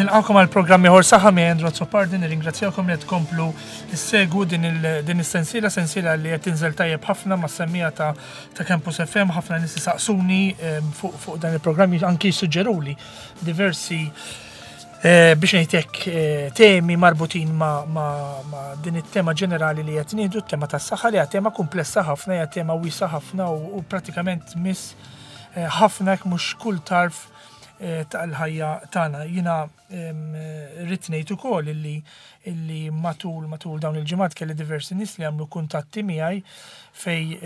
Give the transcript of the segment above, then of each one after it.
Nilqakom għal programm ieħor saħħa mi Andrew Azzopardi, nirringrazzjakom li qed tkomplu ssegwu din is-sensiela, sensiela li qed tinżel tajjeb ħafna ma' semmija ta' ta' Campus FM, ħafna nies isaqsuni ehm, fuq fuq dan il-programm anki jissuġġeruli diversi eh, biex ngħidlek eh, temi marbutin ma', ma, ma din it-tema ġenerali li qed nieħdu, t-tema tas-saħħa li hija tema komplessa ħafna, hija tema wiesa ħafna u, u pratikament miss eh, ħafna jekk mhux kull tarf tal-ħajja tagħna. Jiena rrid ngħid ukoll illi illi matul matul dawn il-ġimgħat kelli diversi nies li għamlu kuntatti miegħi fej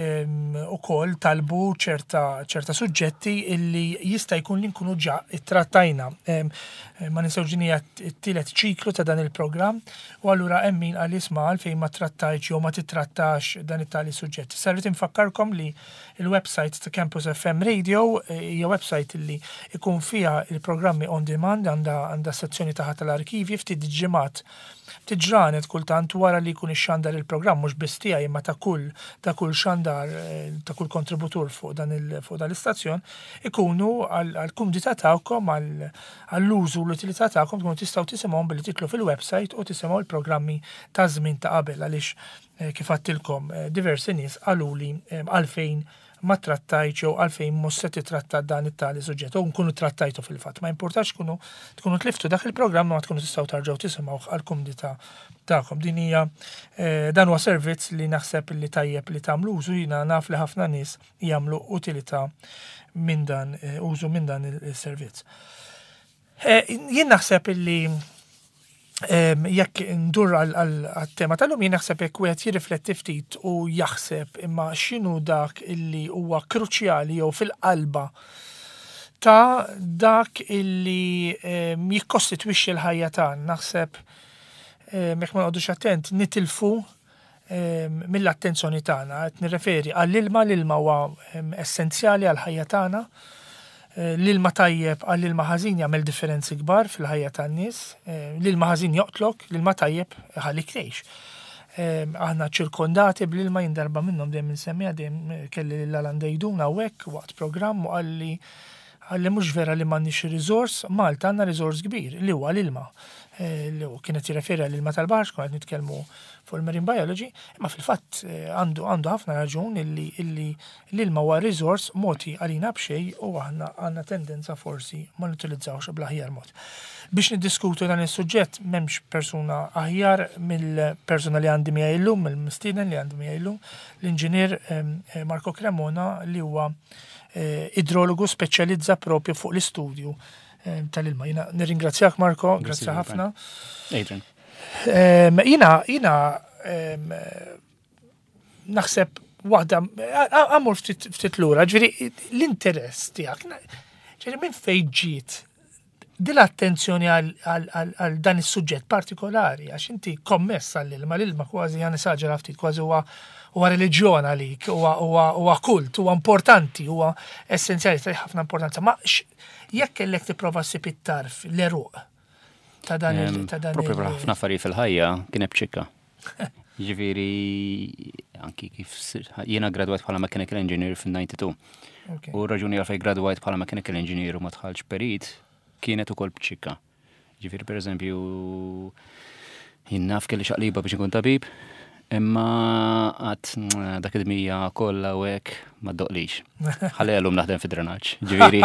ukoll talbu ċerta ċerta suġġetti illi jista' jkun li nkunu ġa ittrattajna. Ma ninsewx din hija t-tielet ċiklu ta' dan il-programm u allura hemm min qal isma' għalfejn ma trattajtx jew ma titrattax dan it-tali suġġett. Issa rrid infakkarkom li Il-website ta' Campus FM Radio eh, hija website li ikun fiha il-programmi on demand għandha għandha sezzjoni taħt tal-arkivji ftit ġimgħat ftit ġranet kultant wara li jkun ixxandar il-programm mhux biss tiegħi imma ta' kull ta' kull xandar eh, ta' kull kontributur fuq dan il fuq dan l-istazzjon ikunu għall-kumdità tagħkom għall-użu u l-utilità tagħkom tkunu tistgħu tisimgħuhom billi titlu fil-website u tisimgħu l-programmi ta' żmien ta' qabel għaliex Eh, kif għattilkom, eh, diversi nies qaluli eh, għalfejn ma trattajt jew għalfejn mhux se titratta dan it-tali suġġett u nkunu trattajtu fil-fatt. Ma importax tkunu tkunu tliftu dak il-programm ma tkunu tistgħu tarġgħu tisimgħu għall-kumdità tagħkom. Din hija dan huwa servizz li naħseb li tajjeb li tagħmlu użu jiena naf li ħafna nies jagħmlu utilità minn dan użu minn dan il-servizz. Jien naħseb illi jekk ndur għal-tema tal-lum jien naħseb jekk wieħed jirrifletti ftit u jaħseb imma x'inhu dak illi huwa kruċjali jew fil-qalba ta' dak illi jikkostitwixxi l-ħajja tagħna. Naħseb jekk ma noqogħdux attent nitilfu mill-attenzjoni tagħna. Qed nirreferi għall-ilma, l-ilma huwa essenzjali għall-ħajja tagħna. Eh, l-ilma tajjeb għall-ilma ħażin jagħmel differenzi kbar fil-ħajja tan-nies. Eh, l-ilma ħażin joqtlok, l-ilma tajjeb ħallik tgħix. Eh, aħna ċirkondati bl-ilma jien darba minnhom dejjem insemmiha dejjem kelli lil Alan Dejdun hawnhekk waqt programm u qalli Qalli mhux vera li m'għandniex riżors, Malta għandna riżors kbir li huwa l-ilma. Eh, li kienet jirreferi għall-ilma tal-baħar kien qed nitkellmu fuq il-marine biology, imma fil-fatt eh, għandu għandu ħafna raġun illi illi l-ilma huwa riżors mogħti għalina b'xejn u aħna għandna tendenza forsi ma nutilizzawx bl-aħjar mod. Biex niddiskutu dan is-suġġett m'hemmx persuna aħjar mill-persuna li għandi miegħi llum, mill-mistieden li għandi miegħi llum, l-inġinier eh, Marco Cremona li huwa Eh, idrologu speċjalizza propju fuq l-istudju eh, tal-ilma. Jina nirringrazzjak Marko, grazzi ħafna. Adrian. Jina, jina naħseb waħda, għamur ftit lura, ġviri l-interess tijak, ġviri minn fejn ġiet din l-attenzjoni għal dan is-suġġett partikolari, għax inti kommess għall-ilma, l-ilma kważi għan esaġera ftit, kważi huwa huwa reliġjon għalik, huwa kult, huwa importanti, huwa essenzjali, ta' ħafna importanza. Ma jekk kellek tipprova ssib it-tarf, l-eruq ta' dan il- ta' dan Propju ħafna affarijiet fil-ħajja kien hemm ċikka. Ġifieri anki kif jiena gradwajt bħala mechanical engineer fin-92. U raġuni għalfejn gradwajt bħala mechanical engineer u ma tħallx perit kienet ukoll b'ċikka. Ġifieri pereżempju jien naf kelli xaqliba biex inkun tabib, imma għat dak id-dmija kollha u hekk ma ddoqlix. Ħalli għallum naħdem fi drenaġġ. Ġifieri.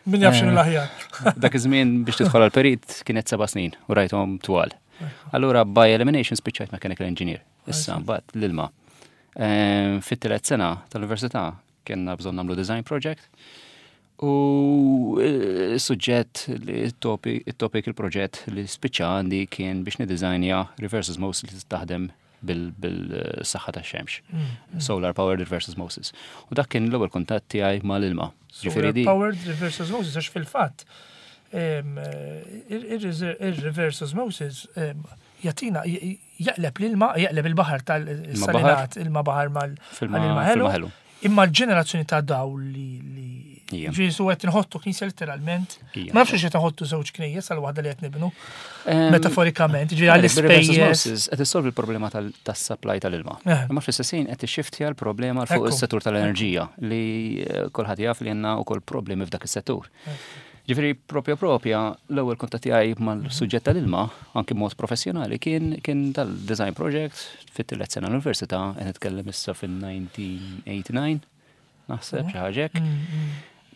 Min jaf x'inhu l-aħjar. Dak iż-żmien biex tidħol għall-perit kienet seba' snin u rajthom twal. Allura by elimination spiċċajt mechanical engineer. Issa mbagħad l-ilma. Ehm, fit-tielet sena tal-università kienna bżonn nagħmlu design project u eh, suġġett li it-topic il-proġett li spiċċa għandi kien biex nidizajnja reverse osmosis li taħdem bil-saħħa ta' xemx. Mm, mm. Solar powered reverse osmosis. U dak kien l-ewwel kuntatt tiegħi mal-ilma. Solar powered reverse osmosis għax fil-fatt il-reverse osmosis jatina jaqleb l-ilma, jaqleb il-baħar tal-salinat, ilma baħar mal-ilma ħelu. Imma l-ġenerazzjoni ta' dawl li Ġifieri su qed inħottu knisja letteralment. Ma nafx qed inħottu żewġ knejjes għal waħda li qed nibnu. Metaforikament, ġifieri għall-ispejjeż. Qed issolvi l-problema tas-supply tal-ilma. Eh. Imma fl-istess ħin qed ixxiftja l-problema fuq is-settur tal-enerġija li eh, kulħadd jaf li għandna wkoll problemi f'dak is-settur. Ġifieri propja propja l-ewwel kuntatt tiegħi mal-suġġett tal-ilma, anki mod professjonali, kien kien tal-design project fit-tielet sena l-università, qed nitkellem issa fin-1989, naħseb xi ħaġa hekk.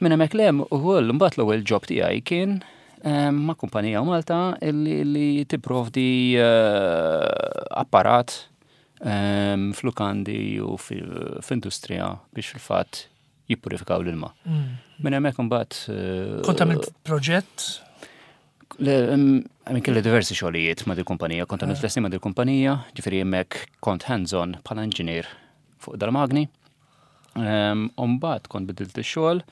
Minn hemmhekk 'l hemm ukoll imbagħad l-ewwel job tiegħi kien ma' kumpanija Malta li tipprovdi apparat f'lukandi u f'industrija biex fil-fatt jippurifikaw l-ilma. Minn hemmhekk imbagħad. Kont għamilt proġett? Għamil kelli diversi xogħlijiet ma' dil-kumpanija, kont għamilt tliet snin ma' dil-kumpanija, ġifieri hemmhekk kont hands-on bħala engineer fuq dal-magni. Mbagħad kont bidilt ix-xogħol,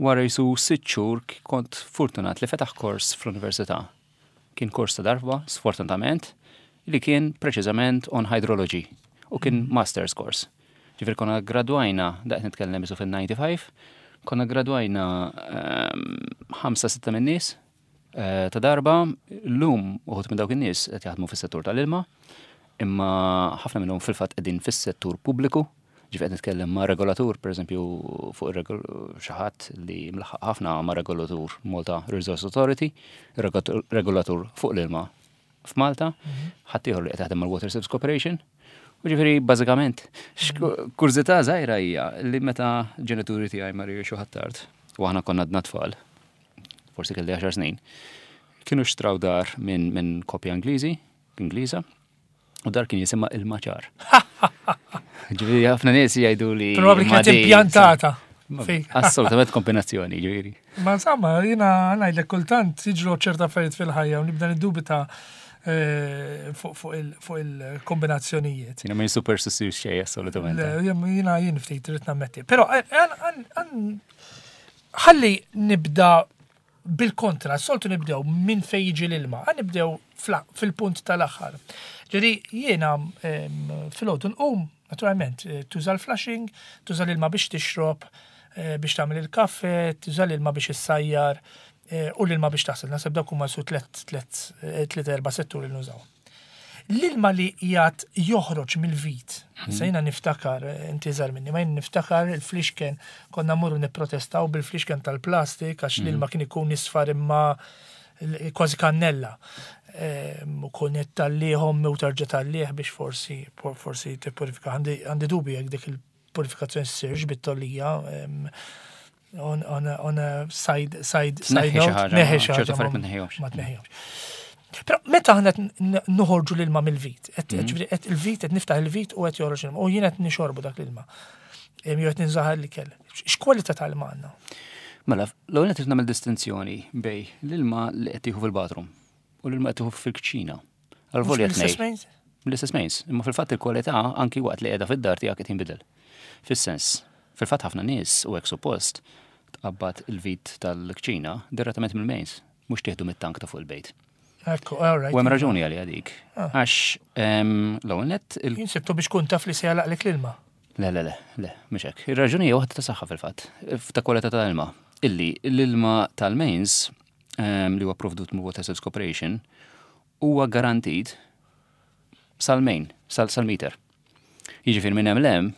wara jisu 6 xhur kont fortunat li fetaħ kors fl-università. Kien kors ta' darba, sfortunatament, li kien preċiżament on hydrology u kien master's course. Ġifieri konna gradwajna, daqt nitkellem isu fil-95, konna gradwajna 5-6 minn nies ta' darba, l-lum uħud minn dawk in-nies qed jaħdmu fis-settur tal-ilma, imma ħafna minnhom fil-fatt qegħdin fis-settur pubbliku, ġifieri qed nitkellem ma' regolatur, pereżempju fuq xi ħadd li mlaħħaq ħafna ma' regolatur Malta Resource Authority, regolatur fuq l-ilma f'Malta, ħaddieħor li qed jaħdem mal-Water Service Corporation. U ġifieri bażikament, kurżità żgħira hija li meta ġenituri tiegħi marru jgħixu Ħ'Attard u aħna konna għadna tfal, forsi kelli 10 snin, kienu xtraw dar minn koppja Ingliżi, Ingliża, u dar kien jisimha il-Maċar. Ġifieri ħafna nies jgħidu li. Probabbli kienet impjantata. Assolutament kombinazzjoni, ġifieri. Ma insomma, jiena ngħidlek kultant jiġru ċerta affarijiet fil-ħajja u nibda niddubita fuq il-kombinazzjonijiet. Jiena minn superstitious xejn, assolutament. Jiena jien ftit trid nammetti. Però ħalli nibda bil-kontra, soltu nibdew minn fej jiġi l-ilma, għan nibdew fil-punt tal-aħħar. Ġifieri jiena filgħodu nqum, naturalment, tuża l-flushing, tuża l-ilma biex tixrob, biex tagħmel il-kafe, tuża l-ilma biex issajjar u l-ilma biex taħsel. Naħseb dawk huma su tlet tlet tliet erba' setturi li nużaw. L-ilma li jgħat joħroġ mill-vit, issa jiena niftakar, inti żgħar minni, ma jien niftakar il-flixken, konna mmorru nipprotestaw bil-flixken tal-plastik għax l-ilma kien ikun isfar imma kważi kannella. U kun tallihom u tarġa' tallih biex forsi forsi tippurifika. Għandi dubi jekk dik il-purifikazzjoni ssirx bit-tollija on a side side side note. Neħi xi ħaġa. Ma tneħħihomx. Però meta aħna noħorġu l-ilma mill-vit, ġifieri qed il-vit qed niftaħ il-vit u qed joħroġ l-ilma u jien qed nixorbu dak l-ilma. Jew qed ninżaħar l-ikel. X'kwalità tal-ilma għandna? Mela, l-ewwel qed nagħmel distinzjoni bej l-ilma li qed tieħu fil-bathroom u l-ilma qed tieħu fil-kċina. Għal-volja tnejn. L-istess mains, imma fil-fatt il-kwalità anki waqt li qiegħda fid-dar tiegħek qed jinbidel. Fis-sens, fil-fatt ħafna nies u hekk suppost tqabbad il-vit tal-kċina direttament mill-mains, mhux tieħdu mit-tank ta' fuq il-bejt. Ekku, all right. U hemm raġuni għalija dik. Għax l-ewwel nett il- Jien sibtu biex kun taf li se jalaqlek l-ilma. Le, le, le, le, mhux hekk. Ir-raġuni hija waħda ta' saħħa fil-fatt, ta' kwalità ta' ilma. Illi l-ilma tal-mains li huwa provdut mill Water Service Corporation huwa garantit sal-main, sal-meter. Jiġifieri minn hemm l-hemm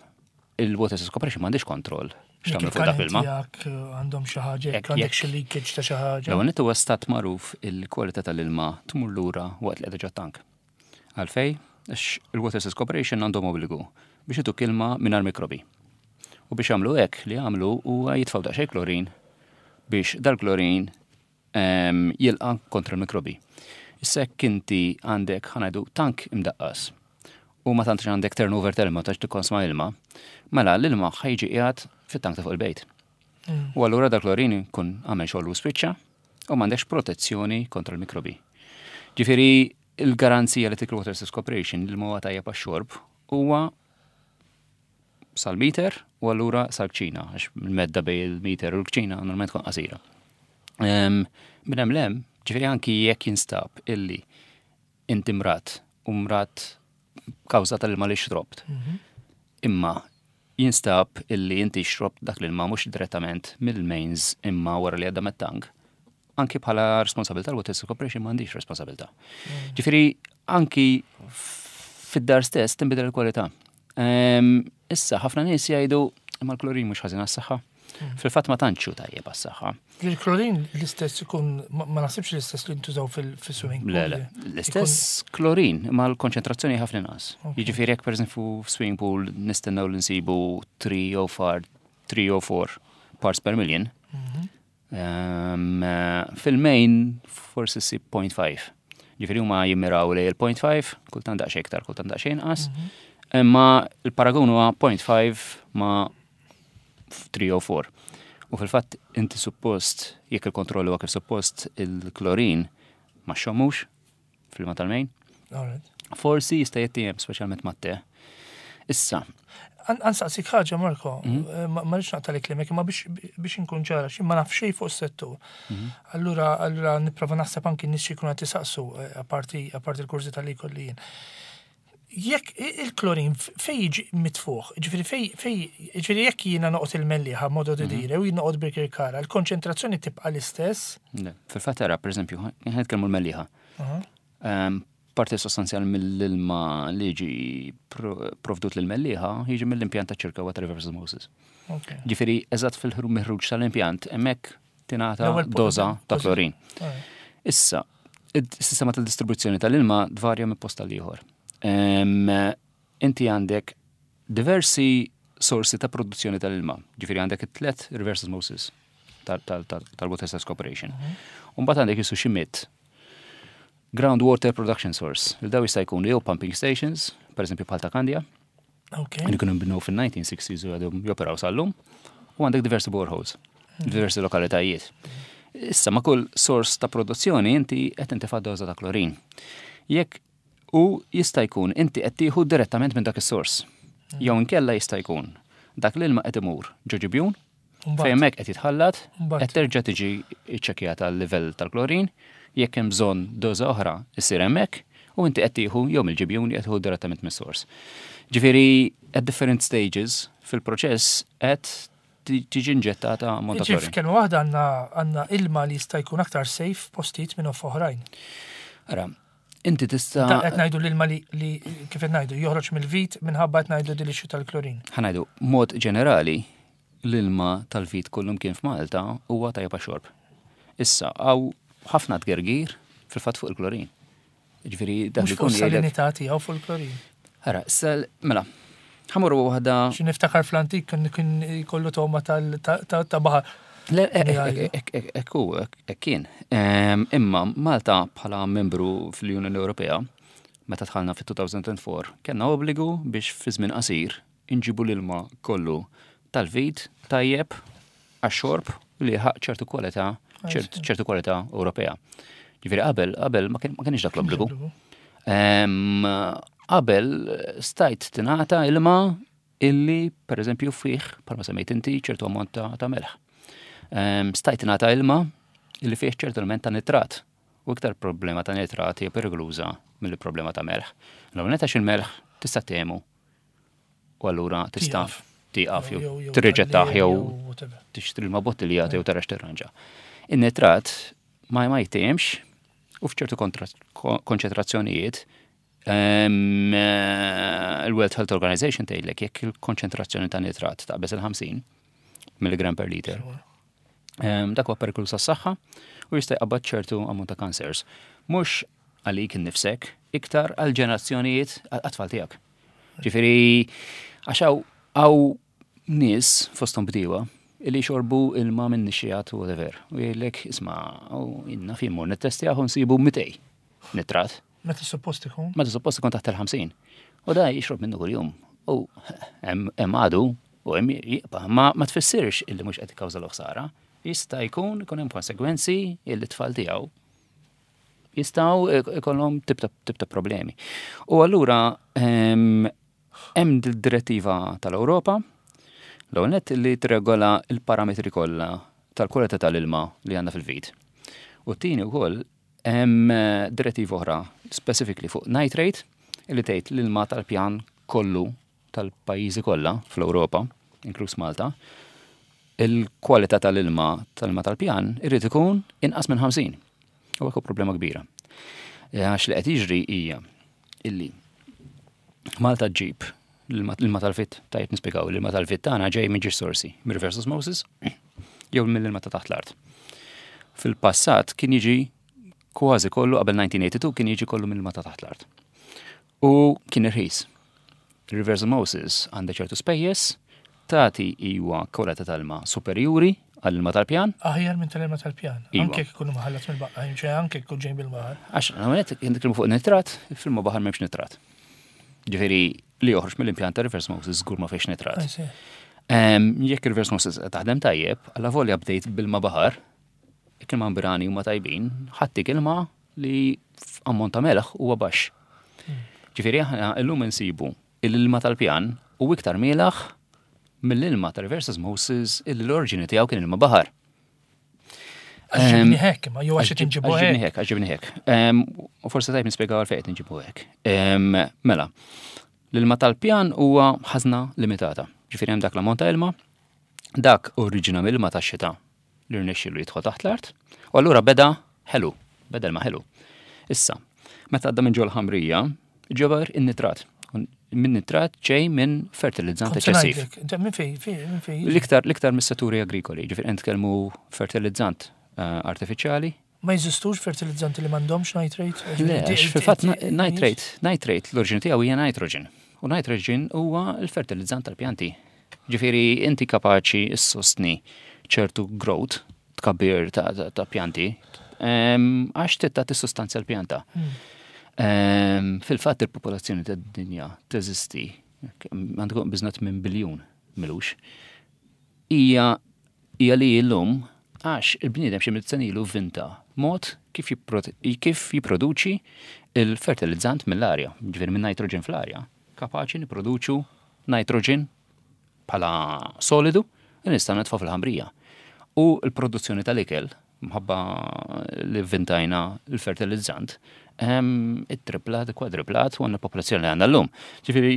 il-Water Service Corporation m'għandix kontroll x'tagħmel fuq dak l-ilma. Tiegħek għandhom xi ħaġa, jekk għandek xi leakage ta' xi ħaġa. L-ewwel nett huwa stat magħruf il-kwalità tal-ilma tmur lura waqt li qiegħda ġot-tank. Għalfej? Għax il-Water Service Corporation għandhom obbligu biex ituk ilma mingħajr mikrobi. U biex jagħmlu hekk li jagħmlu huwa jitfgħu daqsxejn klorin biex dal-klorin jilqa' kontra l-mikrobi. Issa jekk inti għandek ħa ngħidu tank imdaqqas u ma tantx għandek turnover tal-ilma, ma tantx tikkonsma ilma, mela l-ilma ħa jiġi qiegħed fit-tank ta' fuq il-bejt. U allura dak klorin jkun għamel xogħol u spiċċa u m'għandekx protezzjoni kontra l-mikrobi. Ġifieri il-garanzija li tik Water Service Corporation li huwa tajjeb għax-xorb huwa sal-meter u allura sal-kċina, għax il-medda bej il-meter u l-kċina normalment tkun qasira. Minn hemm lem, ġifieri anki jekk jinstab illi inti mrat u mrat kawża tal-ilma li xrobt. Imma jinstab illi inti xrobt dak l-ilma mhux direttament mill-mains imma wara li għadda mit-tank. Anki bħala responsabilità l-Water Service Corporation m'għandix responsabilità. Ġifieri anki fid-dar stess tinbidel il-kwalità. Issa ħafna nies jgħidu imma l-klorin mhux ħażin għas-saħħa. Fil-fatt ma tantx hu tajjeb għas-saħħa. Il-klorin l-istess ikun, ma naħsibx l-istess li ntużaw fil-swimming pool. Le, le, l-istess klorin, ma l-konċentrazzjoni ħafna inqas. Jiġifieri jekk pereżempju f'swimming pool nistennew li nsibu 3 jew 4, 3 jew 4 parts per million, fil-main forsi ssib 0.5. Ġifieri huma jimmiraw lejn il-0.5, kultant daqsxejn iktar, kultant daqsxejn inqas. Imma l-paragun huwa 0.5 ma' 3 jew 4. U fil-fatt inti suppost, jekk il-kontroll huwa kif suppost, il-klorin ma xxommux fil-ilma tal-main. Forsi jista' jittiehem speċjalment mat-te. Issa. Għansaqsik ħaġa, Marko, mhm. eh, ma rridx naqta' klimek, imma biex inkun ċara, xi ma naf xejn fuq is-settur. Mhm. Allura, allura nipprova naħseb anki nies xi jkunu qed isaqsu eh, apparti apparti l-kurżi tal-li jien. Jekk il-klorin fej jiġi mitfuħ, ġifieri fej fej ġifieri jekk jiena noqgħod il-Mellieħa modo di mhm. dire u jien noqgħod Birkirkara, il-konċentrazzjoni tibqa' l-istess? Le, fil-fatt ara, pereżempju, ħa nitkellmu l-Mellieħa. Ehm, parti sostanzjali mill-ilma li jiġi provdut lil Mellieħa jiġi mill-impjant ta' ċirka Water Reverse Osmosis. Ġifieri eżatt fil-ħruġ tal-impjant hemmhekk tingħata doża ta' klorin. Issa, is-sistema tal-distribuzzjoni tal-ilma tvarja minn post tal-ieħor. Inti għandek diversi sorsi ta' produzzjoni tal-ilma. Ġifieri għandek it-tlet reverse osmosis tal-Water Service Corporation. Mhm. Umbagħad għandek jisu xi mit groundwater production source. Il daw jista' jkunu jew pumping stations, per eżempju bħal ta' Kandja, Li kienu nbnew fin-1960s u għadhom joperaw sal-lum. U għandek diversi boreholes, hmm. diversi lokalitajiet. Issa ma' kull sors ta' produzzjoni inti qed intifa' doża ta' klorin. Jekk u jista' jkun inti qed tieħu direttament minn dak is-sors. Hmm. Jew inkella jista' jkun dak l-ilma qed imur ġo ġibjun, fejn hemmhekk qed jitħallat, qed terġa' tiġi ċċekkjata l-livell tal-klorin, jekk hemm bżonn doża oħra issir hemmhekk u inti qed tieħu jew mill-ġibjun qed tieħu direttament mis-sors. Ġifieri at different stages fil-proċess qed tiġi inġettata ammont ta' klorin. F'kelma waħda għandna ilma li jista' jkun aktar safe postijiet minn oħrajn. Ara, inti tista'. Qed ngħidu l-ilma li kif qed ngħidu joħroġ mill-vit minħabba qed ngħidu din l tal-klorin. Ħa ngħidu mod ġenerali l-ilma tal-vit kullumkien f'Malta huwa tajjeb għax-xorb. Issa, hawn ħafna tgergir fil-fatt fuq il-klorin. Ġifieri dak li jkun salinità tiegħu fuq il-klorin. Ara, sal, mela, ħamorru waħda. Xi niftakar fl-antik kien kien jkollu togħma ta' baħar. Le, ekku, hekk kien. Ehm, imma Malta bħala membru fl-Unjoni Ewropea, meta dħalna fit-2004, kellna obbligu biex fi żmien qasir Inġibu l-ilma kollu tal-vit tajjeb għax-xorb li jilħaq ċertu kwalità, ċertu kwalità Ewropea. Ġifieri qabel, qabel ma kienx dak l-obbligu. Qabel stajt tingħata ilma illi pereżempju fih, bħalma semmejt inti, ċertu ammont ta' melħ. Stajt tingħata ilma illi fih ċertu element ta' nitrat. U iktar problema ta' nitrat hija perikoluża mill-problema ta' melħ. L-ewwel nett għax il-melħ tista' temu U allura tista' tieqaf jew tirriġettah jew tixtri ma' bottiljat jew tara x'tirranġa. In-nitrat ma ma jittiehemx u f'ċertu konċentrazzjonijiet ehm, il-World Health Organization tgħidlek jekk il-konċentrazzjoni ta' nitrat taqbeż il-50 milligram per liter. Ehm, dak huwa periklu sas-saħħa u jista' jqabbad ċertu ammont ta' cancers. Mhux għalik innifsek, iktar għal ġenerazzjonijiet għat-tfal tiegħek. Ġifieri għax hawn nies fosthom bdiewa illi xorbu ilma minn nixxijat u whatever. U jgħidlek isma' inna fi mmur nittestjaħ u nsibu 200 nitrat. Meta suppost ikun? Meta suppost ikun taħt il-50. U da jixrob minnu kuljum. U hemm għadu u hemm jibqa' ma, ma tfissirx illi mhux qed ikkawża l-ħsara. Jista' jkun ikun hemm konsegwenzi illi t-tfal tiegħu jistgħu ikollhom tip ta' problemi. U allura ehm, hemm direttiva tal-Ewropa l-ewwel nett li tirregola l-parametri kollha tal-kwalità tal-ilma li għandna fil-vit. U t-tieni wkoll hemm direttiva oħra specifically fuq nitrate li tgħid l-ilma tal-pjan kollu tal-pajjiżi kollha fl-Ewropa, inkluż Malta, il-kwalità tal-ilma tal-ilma tal-pjan irid ikun inqas minn 50. U hekk problema kbira. Eh, għax li qed jiġri hija illi Malta ġġib L-ilma tal-fit, tajjeb nispjegaw, l-ilma tal-fit tagħna ġej minn ġiex sorsi, mir-reverse osmosis, jew mill-ilma ta' taħt l-art. Fil-passat kien jiġi kważi kollu qabel 1982 kien jiġi kollu mill-ilma ta' taħt l-art. U kien irħis. Reverse osmosis għandha ċertu spejjeż, tagħti iwa kwalità tal-ilma superjuri għall-ilma tal-pjan. Aħjar minn tal-ilma tal-pjan. Iva. Anke jekk ikunu maħallat mill-baħar, ċe anke jkun ġej bil-baħar. Għax, għamet, nitkellmu fuq nitrat, fil-ma baħar m'hemmx nitrat. Ġifieri li joħroġ mill-impjant ta' reverse osmosis żgur ma fiex nitrat. I see. Jekk reverse osmosis taħdem tajjeb, alla volja bdejt bil-ma baħar, jekk il-membrani huma tajbin, ħattik ilma li ammont ta' melħ huwa baxx. Ġifieri aħna llum insibu l-ilma tal-pjan u iktar mielaħ mill-ilma ta' reverse osmosis illi l-oriġini tiegħu kien ilma baħar. Għax ġibni hekk, ma jew għax qed inġibu Għax hekk. hekk, għax ġibni hekk. U forsi tajb nispjegaw għalfejn qed inġibu hekk. Mela, l-ilma tal-pjan huwa ħażna limitata. Ġifieri hemm dak l-ammont ta' ilma, dak oriġina mill-ilma tax-xita li rnexxielu jidħol taħt l-art, u allura beda ħelu, beda ilma ħelu. Issa, meta għadda minn ġol ħamrija, ġabar in-nitrat. Minn nitrat ġej minn fertilizzant Kont se eċċessiv. ngħidlek, inti Minn fej, fej, minn fej. L-iktar l-iktar mis-setturi agrikoli, ġifieri qed nitkellmu fertilizzant artifiċjali. Ma jeżistux fertilizzanti li m'għandhomx nitrate? Le, għax fil-fatt nitrate, nitrate l-oriġini tiegħu hija nitrogen. U nitrogen huwa l-fertilizzant tal-pjanti. Ġifieri inti kapaċi ssostni ċertu growth tkabbir ta' pjanti għax titta tissustanzja l-pjanta. Fil-fatt il-popolazzjoni tad-dinja teżisti, għandkom biżnat minn biljun milux, hija li llum għax il-bniedem xi mitt sena ilu vinta mod kif jipproduċi il-fertilizzant mill-arja, ġifieri minn nitrogen fl-arja, kapaċi nipproduċu nitrogen bħala solidu li nistgħu nitfgħu fil-ħamrija. U l-produzzjoni tal-ikel, mħabba li vintajna l-fertilizzant, it-triplat, kwadriplat, u għandna popolazzjoni li għandna llum. Ġifieri,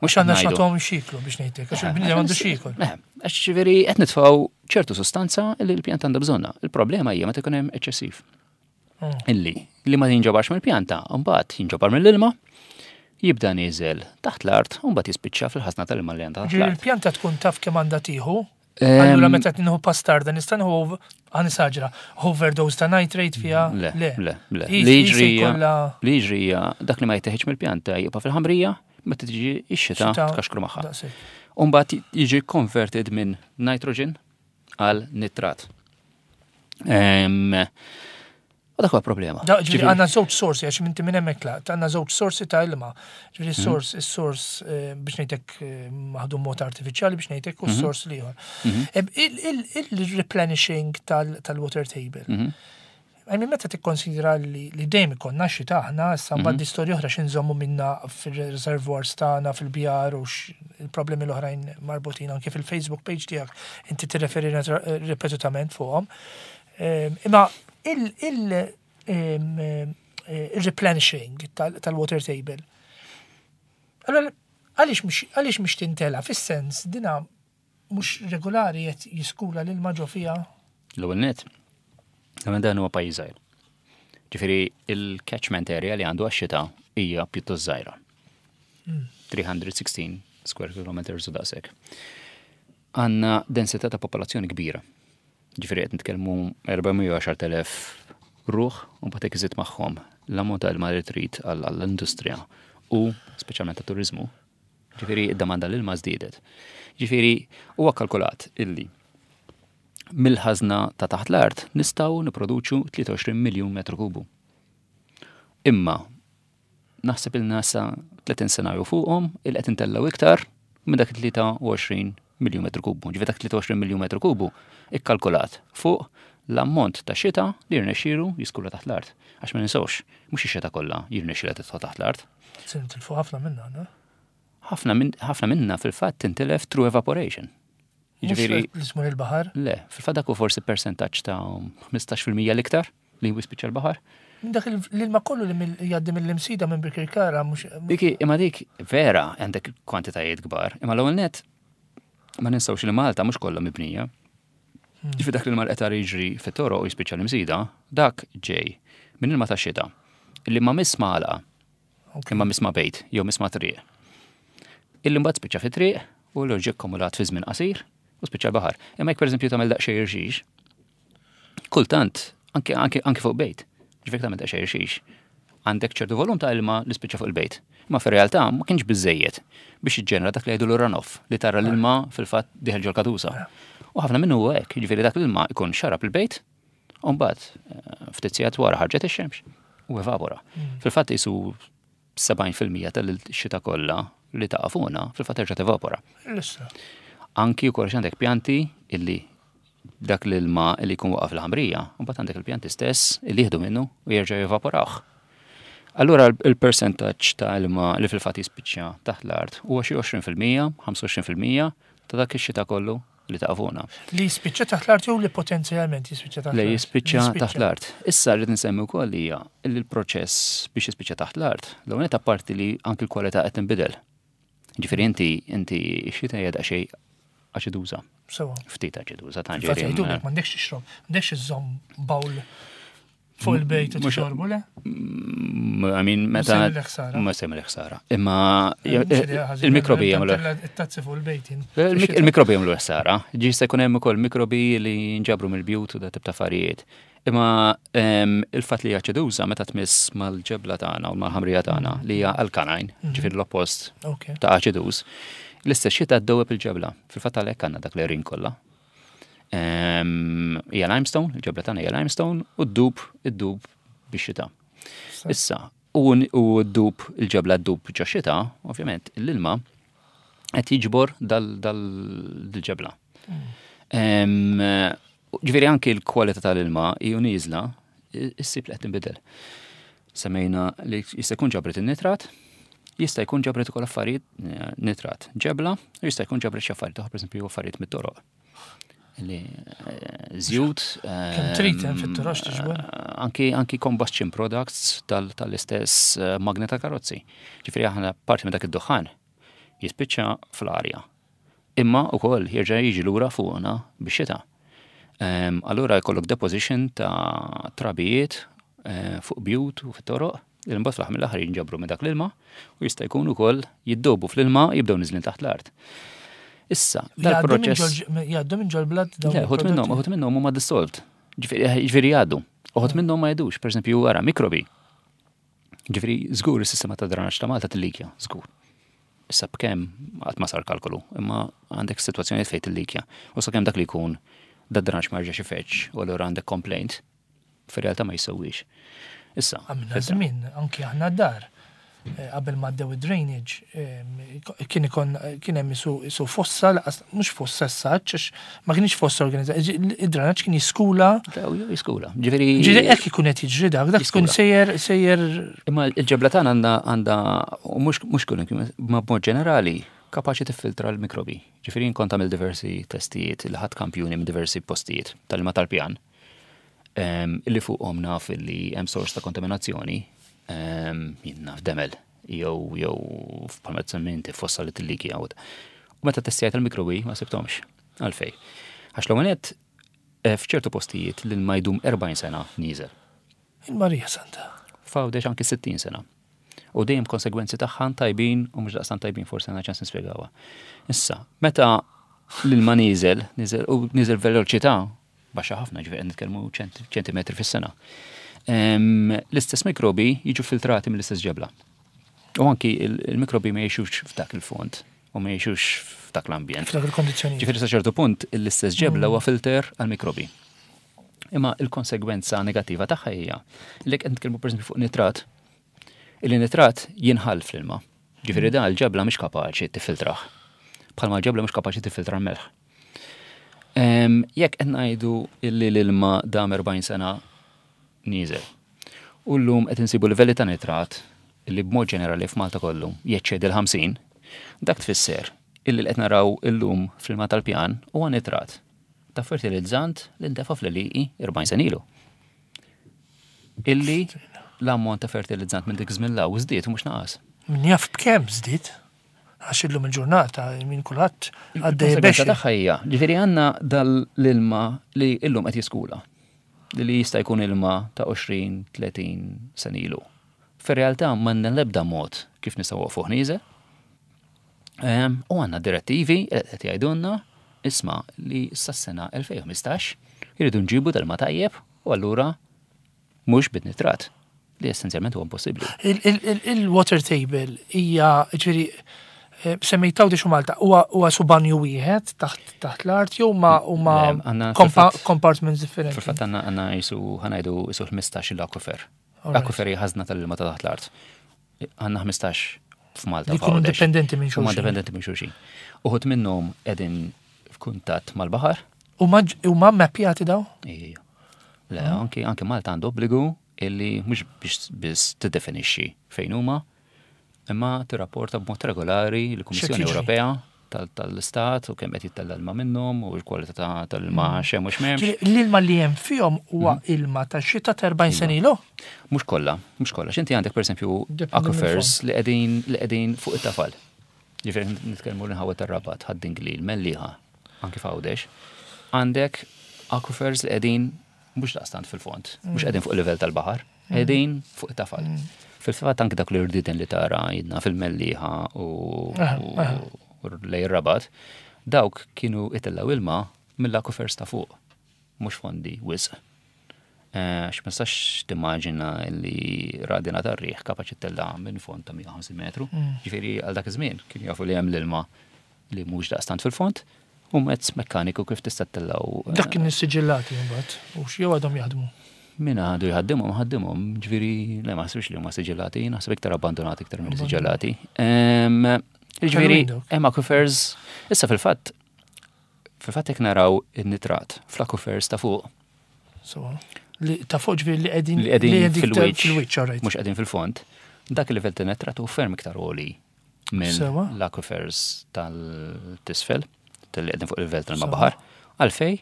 mhux Għandna ngħidu. x'nagħtuhom xiklu biex ngħidlek, għax il-bniedem għandu xiklu. Le, għax ġifieri qed nitfgħu ċertu sostanza li l-pjanta għandha bżonna. Il-problema hija meta jkun hemm eċċessiv. Illi li ma jinġabarx mill-pjanta, mbagħad jinġabar mill-ilma, jibda nieżel taħt l-art, u mbagħad jispiċċa fil-ħażna tal-ilma li għandha taħt Ġifieri l-art. il-pjanta tkun taf kemm għandha tieħu. Allura meta tnieħu pastarda nista' nieħu ħanisaġra overdose ta' nitrate fiha? Le, le, le. Hi- Li hi jiġri se hija- jkollha li jiġri hija dak li ma jitteħiġ mill-pjanta jibqa' fil-ħamrija, meta tiġi x-xita Xita, tkaxkru magħha. daqshekk. U mbagħad jiġi converted minn nitrogen għal nitrat. U dak huwa problema. Da, ġifieri Ġifieri- għandna żewġ sorsi, għax minti minn hemmhekk tlaqt, għandna żewġ sorsi ta' ilma. Ġifieri s-sors, is-sors biex ngħidlek maħdum mod artifiċjali biex ngħidlek u s-sors l-ieħor. Il-replenishing tal-water table. I mean, meta tikkonsidra li dejjem ikollna xita aħna, issa mbagħad di storja oħra x'inżommu minna fir-reservoirs tagħna fil-bjar u il-problemi l-oħrajn marbutin anke fil-Facebook page tiegħek inti tirreferi ripetutament fuqhom. Imma il-replenishing tal-water table. Allora, għaliex mhux tintela fis-sens dina mhux regolari qed jiskula l-ilma ġo fiha? L-ewwel net, l dan huwa pajjiż żgħir. Ġifieri il-catchment area li għandu għax-xita hija pjuttost żgħira. 316 square kilometers u daqshekk. Għandna densità ta' popolazzjoni kbira. Ġifieri qed nitkellmu 410,000 ruħ u mbagħad jekk iżid magħhom l-ammont ta' ilma li trid għall-industrija u speċjalment tat-turiżmu. Ġifieri id-domanda l-ilma żdiedet. Ġifieri huwa kalkulat illi mill-ħażna ta' taħt l-art nistgħu nipproduċu 23 miljun metru kubu. Imma naħseb il nasa 30 sena jew fuqhom il qed intellgħu iktar minn dak 23 miljun metru kubu. Ġifieri dak 23 miljun metru kubu ikkalkulat fuq l-ammont ta' xita li jirnexxielu jiskula taħt l-art. Għax ma ninsewx, mhux ix-xita kollha jirnexxielha tidħol taħt l-art. Se nitilfu ħafna minna, no? Ħafna minna fil-fatt tintilef through evaporation. Jiġifieri Mhux li tmur il-baħar. le, fil-fatt dak hu forsi percentaġġ ta' 15% l-iktar li jispiċċa l-baħar. Minn dak l-ilma kollu li jgħaddi mill-imsida minn Birkirkara mhux Dik imma dik vera għandek kwantitajiet kbar, imma l-ewwel net ma ninsewx li Malta mhux kollha mibnija. Ġifi dak li l qed jiġri fit-toroq u jispiċċa l-imsida, dak ġej minn ilma ta' xita illi ma miss magħlaqa, imma miss ma' bejt jew miss ma' triq. Illi mbagħad spiċċa fit-triq u l ġie akkumulat fi żmien qasir u spiċċa l-baħar. Imma jekk pereżempju tagħmel daqsxejn irxix, kultant anke anke anke fuq bejt, ġifieri tagħmel daqsxejn irxix, għandek ċertu volum ta' ilma li spiċċa fuq il-bejt. Ma fir-realtà ma kienx biżejjed biex jiġġenera dak li jgħidu l-runoff li tara l-ilma fil-fatt dieħel ġol katusa. U ħafna minnu huwa hekk, jiġifieri dak l-ilma jkun xarab il-bejt, u mbagħad eh, ftit sigħat wara ħarġet ix-xemx u evapora. Fil-fatt isu 70% tal-xita kollha li taqa' fuqna fil-fatt terġa' tevapora. Anki wkoll għandek pjanti illi dak l-ilma li jkun waqaf l-ħamrija, u mbagħad għandek il-pjanti stess illi jieħdu minnu u jerġgħu jevaporawh. Allura il-percentaġġ ta' ilma li fil-fatt jispiċċa taħt l-art huwa xi 20%, 25% ta' dak ix-xita kollu li taqa' fuqna. Li jispiċċa taħt l-art jew li potenzjalment jispiċċa taħt l-art? Li jispiċċa taħt l-art. Issa rrid nsemmi wkoll hija li l-proċess biex jispiċċa taħt l-art, l-ewwel nett apparti li anki l-kwalità qed tinbidel. Ġifieri inti inti x-xita hija daqsxejn aċiduża. Sewa. Ftit aċiduża ta' ġifieri. M'għandekx tixrob, m'għandekx iżżomm bawl Fuq il-bejt u tixorbu, le? I mean, meta. Ma semmi ħsara. Imma eh, il-mikrobi jagħmlu. It-tazzi fuq il-bejt. Il-mikrobi jagħmlu ħsara. Ġi se jkun hemm ukoll mikrobi li nġabru mill-bjut u da tip ta' affarijiet. Imma ehm, il-fatt li jaċeduża meta tmiss mal-ġebla tagħna u mal-ħamrija tagħna li hija alkaline, mhm. ġifieri l-oppost ta' aċiduż, l-istess xita ddewweb il-ġebla. Fil-fatt għalhekk għandna dak l-erin kollha. Hija limestone, il-ġebla tagħna hija limestone u ddub, iddub bix-xita. Issa, u ddub il-ġebla ddub ġo xita, ovvjament l-ilma qed jiġbor dal-ġebla. Mm. Ġifieri anki l-kwalità tal-ilma hija nieżla, issib li qed tinbidel. Semmejna li jista' jkun ġabret in-nitrat, jista' jkun ġabret ukoll affarijiet eh, nitrat ġebla, u jista' jkun ġabret xi affarijiet oħra, pereżempju affarijiet mit-toroq. Li eh, żjut. Kemm trid hemm fit-toroq tiġbor? Eh, anki anki combustion products tal-istess magna ta' karozzi. Ġifieri aħna parti minn dak id-duħħan jispiċċa fl-arja. Imma wkoll jerġa' jiġi lura fuqna bix-xita. Ehm, allura jkollok deposition ta' trabijiet eh, fuq bjut u fit-toroq, li mbagħad fl-aħħar mill-aħħar jinġabru minn dak l-ilma u jista' jkun ukoll jiddobu fl-ilma jibdew niżlin taħt l-art. Issa, dal-proċess. Jgħaddu minn ġol-blad dawn. Le, uħud minnhom, uħud minnhom huma dissolved. Ġifieri jgħaddu. Uħud minnhom ma jgħidux, pereżempju wara mikrobi. Ġifieri żgur is-sistema ta' drenaġġ ta' Malta tillikja, żgur. Issa b'kemm qatt ma sar kalkolu, imma għandek sitwazzjonijiet fejn tillikja. U sakemm dak li jkun dad-drenaġġ ma jerġax ifeġġ u allura għandek complaint, fir-realtà ma jissewwiex. Issa. Għamilna żmien, anki aħna d-dar, eh, qabel ma għaddew id-drainage, eh, kien ikon kien hemm isu fossa, mhux fossa s-saċ, ma kienx fossa organizzata, id-drenaġġ kien jiskula. Jiskula. Ġifieri. Ġifieri hekk ikun qed jiġri dak, dak ikun sejjer sejjer. Imma l-ġebla tagħna għandha għandha u mhux mhux kull ma b'mod ġenerali kapaċi tiffiltra l-mikrobi. Ġifieri kont għamil diversi testijiet li ħadd kampjuni minn diversi postijiet tal-ilma tal-pjan ehm, illi fuqhom naf illi hemm sors ta' kontaminazzjoni ehm, jien naf demel jew jew bħalma tsemmi inti fossa li tillikja u meta testijajt il-mikrobi ma sibthomx. Għalfej. Għax l-ewwel nett eh, f'ċertu postijiet l-ilma jdum 40 sena nieżel. Il-Marija Santa. F'Għawdex anki 60 sena. U dejjem konsegwenzi tagħha tajbin u mhux daqstant tajbin forsi għandna ċans nispjegawha. Issa, meta l-ilma nieżel, nieżel u nieżel veloċità baxxa ħafna, ġifieri qed nitkellmu ċentimetri fis-sena. L-istess mikrobi jiġu filtrati mill-istess ġebla. U anki il-mikrobi ma jgħixux f'dak il-fond u ma jgħixux f'dak l-ambjent. F'dak il-kondizzjoni. Ġifieri sa ċertu punt l-istess ġebla huwa filter għal-mikrobi. Imma il-konsegwenza negattiva tagħha hija li qed nitkellmu pereżempju fuq nitrat, illi nitrat jinħall fl-ilma. Ġifieri dan il-ġebla mhix kapaċi tiffiltrah. Bħalma l-ġebla mhux kapaċi tiffiltra l-melħ. Jekk qed ngħidu illi l-ilma dam 40 sena nieżel. U llum qed insibu livelli ta' nitrat illi b'mod ġenerali f'Malta kollu jeċċedi l-50, dak tfisser illi li qed naraw illum fl-ilma tal-pjan huwa nitrat ta' fertilizzant li ntefa' fl-għelieqi 40 sena ilu. Illi l-ammont ta' fertilizzant minn dik żmien 'l hawn żdied u mhux naqas. Min jaf b'kemm żdied? Għax illum il-ġurnata minn kulħadd għaddej biex. Tagħha hija, ġifieri għandna dal-ilma li illum qed jiskula. Li jista' jkun ilma ta' 20, 30 sena ilu. Fir-realtà m'għandna l-ebda mod kif nistgħu waqfuh nieżel. U għandna direttivi qed jgħidulna isma' li sas-sena 2015 jridu nġibu dal tajjeb u allura mhux bit-nitrat li essenzjalment huwa impossibbli. Il-water table hija ġifieri eh, semmejt Għawdex u Malta huwa subanju wieħed taħt l-art jew ma huma compartments differenti. Fil-fatt għandna jisu ħanajdu jisu 15 l-akwifer. L-akwifer hija ħażna tal-ilma ta' taħt l-art. Għandna 15 f'Malta. Li jkunu indipendenti minn xulxin. Huma indipendenti minn xulxin. Uħud minnhom qegħdin f'kuntatt mal-baħar. Huma mappjati daw? Ija. Le, anki anki Malta għandu obbligu illi mhux biex biss tiddefinixxi fejn huma, imma tirrapporta b'mod regolari l-Kummissjoni Ewropea tal-istat u kemm qed jittella ilma minnhom u l-kwalità tal-ilma mm. xemm u x'memx. L-ilma li hemm fihom huwa mm. ilma ta' xita ta' 40 sena ilu? Mhux kollha, mhux kollha. X'inti għandek pereżempju aquifers li qegħdin li qegħdin fuq it-tafal. Ġifieri nitkellmu l-inħawa tar-Rabat, Ħad-Dingli, l-Mellieħa, anki f'Għawdex. Għandek aquifers li qegħdin mhux daqstant fil-fond, mhux mm. qegħdin fuq il-livell tal-baħar, mm. qegħdin fuq it-tafal. Mm. Fil-fatt anki dak l-irdiden li tara jidna fil-Mellieħa u lej rabat dawk kienu itellaw ilma mill-aquifers ta' fuq, mhux fondi wisq. Eh, X'ma nistax timmaġina li radina tar-riħ kapaċi tella minn fond ta' 150 metru. Ġifieri għal dak iż-żmien kienu jafu li hemm l-ilma li mhux daqstant fil-fond, u mezz mekkaniku kif tista' ttellgħu. Eh, Dak kien issiġillati mbagħad, u jew għadhom jaħdmu. Min għadu jħaddimhom, ħaddimhom, ġifieri le ma ħsibx li huma siġillati, naħseb iktar abbandonati iktar minn siġillati. Ġifieri hemm aquifers, issa fil-fatt fil-fatt jekk naraw in-nitrat fl-aquifers ta' fuq. So, li ta' fuq ġifieri li qegħdin li qegħdin fil-wiċċ, mhux qegħdin fil-fond, dak il-livell ta' nitrat hu ferm iktar għoli minn l-aquifers tal-tisfel, tal-li qegħdin fuq il-livell tal-mabaħar, għalfej,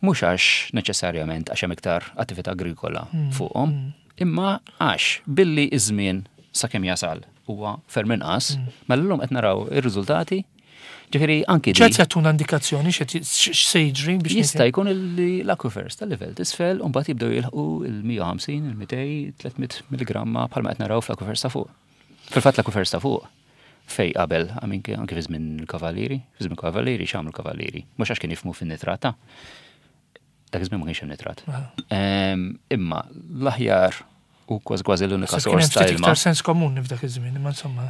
mhux għax neċessarjament għax hemm iktar attività agrikola mm, fuqhom, mm. imma għax billi iż-żmien sakemm jasal huwa ferm inqas, mm. mela llum qed naraw ir-riżultati Ġifieri anki. ċert jagħtuna indikazzjoni x'se jiġri biex. Jista' jkun li l-aquifers tal-livell t'isfel u mbagħad jibdew jilħqu il-150, il-200, 300 milligramma bħalma qed naraw fl-aquifers ta' fuq. Fil-fatt l-aquifers ta' fuq fej qabel, anke fi żmien il-kavallieri, fi żmien kavallieri x'għamlu kavallieri, mhux għax kien jifmu fin-nitrat ta' dak iż-żmien ma kienx hemm nitrat. Imma l-aħjar u kważi kważi l-unika sors ta' ilma. Iktar sens komuni f'dak iż-żmien, imma insomma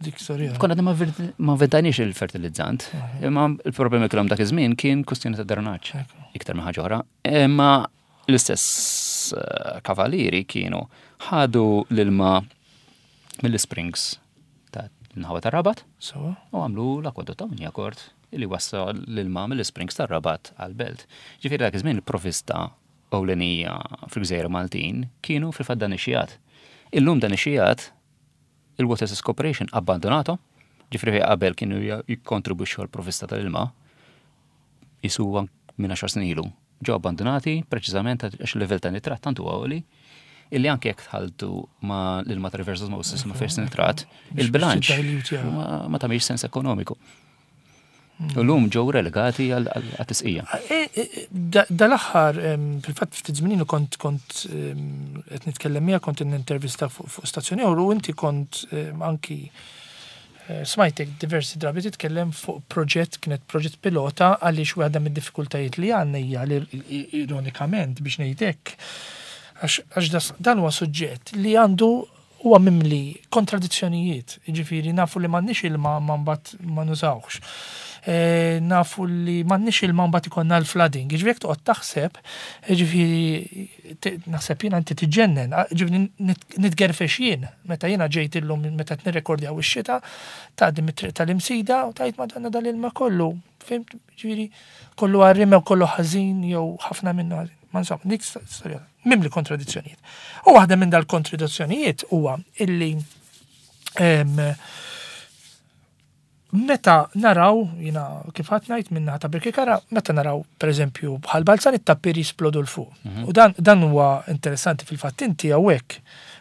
dik storja. Konna ma ventajniex il-fertilizzant, imma il-problemi kellhom dak iż-żmien kien kwestjoni ta' drenaġġ iktar minn ħaġa oħra. Imma L-istess eh, kavalieri kienu ħadu l-ilma mill-springs ta' nħawa ta' Rabat u għamlu l-akwadott ta' Unjakort li wassal l-ilma mill-springs ta' Rabat għal-belt. Ġifieri dak iż-żmien il-provista ewlenija fil-Gżejjer Maltin kienu fil-fatt dan ix-xijat. Illum dan ix-xijat Il-Water Access Corporation abbandonato, ġifri fejn qabel kienu jikkontribwixxu għall-provvista tal-ilma, jisu minn 10 snin ilu, ġew abbandonati preċiżament għax il-livell ta' nitrat tant huwa għoli illi anke jekk tħalltu ma' l-ilma ta' reverse osmosis ma' fiex nitrat, il-bilanċ ma tagħmilx sens ekonomiku. U l-lum ġew relegati għal-tisqija. E, e, e, dal-aħħar, fil-fatt ftit żmien kont kont qed nitkellem miegħek kont intervista fuq stazzjoni u inti kont anki eh, smajtek diversi drabi titkellem fuq proġett kienet proġett pilota għaliex waħda mid-diffikultajiet li għandna hija li ironikament biex ngħidlek għax dan huwa suġġett li għandu huwa mimli kontradizzjonijiet, jiġifieri nafu li m'għandniex ilma ma mbagħad ma nużawhx. E, nafu li m'għandniex ilma mbagħad ikollna l-flooding. Jiġifieri jekk toqgħod taħseb, jiġifieri naħseb jiena inti tiġġennen, jiġifieri nitgerfex jien meta jiena ġejt illum meta qed nirrekordjaw ix-xita, tgħaddi mit-triq tal-Imsida u tgħid Madonna dal-ilma kollu, fimt? Ġifieri kollu għarrim jew kollu ħażin jew ħafna minnu ħażin. Ma insomma, dik storja mimli kontradizzjonijiet. U waħda minn dal-kontradizzjonijiet huwa illi meta naraw, jina kif ħadd ngħid minna ta' Birkirkara, meta naraw pereżempju bħal balzan it-tappir jisplodu l fuq. Mhm. U dan, dan huwa interessanti fil-fatt inti hawnhekk